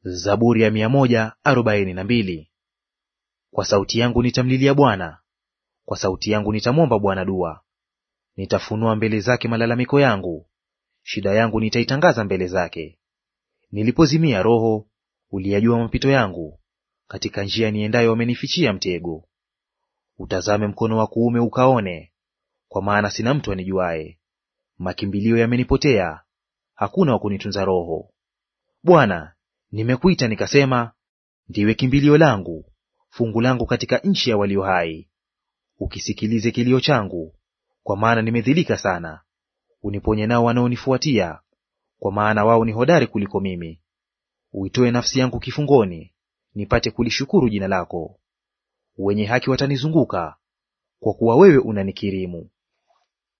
Zaburi ya 142. Kwa sauti yangu nitamlilia Bwana, kwa sauti yangu nitamwomba Bwana dua. Nitafunua mbele zake malalamiko yangu, shida yangu nitaitangaza mbele zake. Nilipozimia roho, uliyajua mapito yangu, katika njia niendayo wamenifichia mtego. Utazame mkono wa kuume ukaone, kwa maana sina mtu anijuaye. Makimbilio yamenipotea, hakuna wa kunitunza roho. Bwana, nimekuita nikasema, ndiwe kimbilio langu, fungu langu katika nchi ya walio hai. Ukisikilize kilio changu, kwa maana nimedhilika sana. Uniponye nao wanaonifuatia, kwa maana wao ni hodari kuliko mimi. Uitoe nafsi yangu kifungoni, nipate kulishukuru jina lako. Wenye haki watanizunguka, kwa kuwa wewe unanikirimu.